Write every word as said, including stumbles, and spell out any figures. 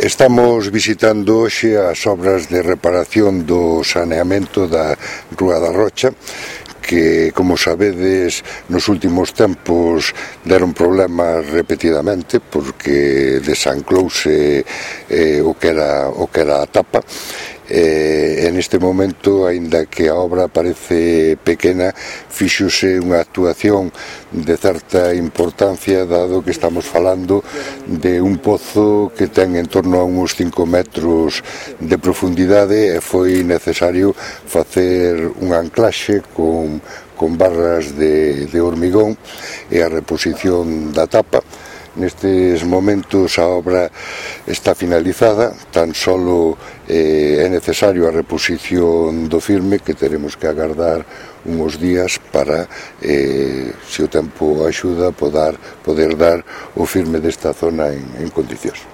Estamos visitando hoxe as obras de reparación do saneamento da Rúa da Rocha, que, como sabedes, nos últimos tempos deron problemas repetidamente porque desanclouse eh, o, que era, o que era a tapa. Eh, en este momento, aínda que a obra parece pequena, fíxose unha actuación de certa importancia, dado que estamos falando de un pozo que ten en torno a uns cinco metros de profundidade e foi necesario facer un anclaxe con, con barras de, de hormigón e a reposición da tapa. Nestes momentos a obra está finalizada, tan solo eh, é necesario a reposición do firme, que teremos que agardar uns días para, eh, se o tempo axuda, poder, poder dar o firme desta zona en, en condicións.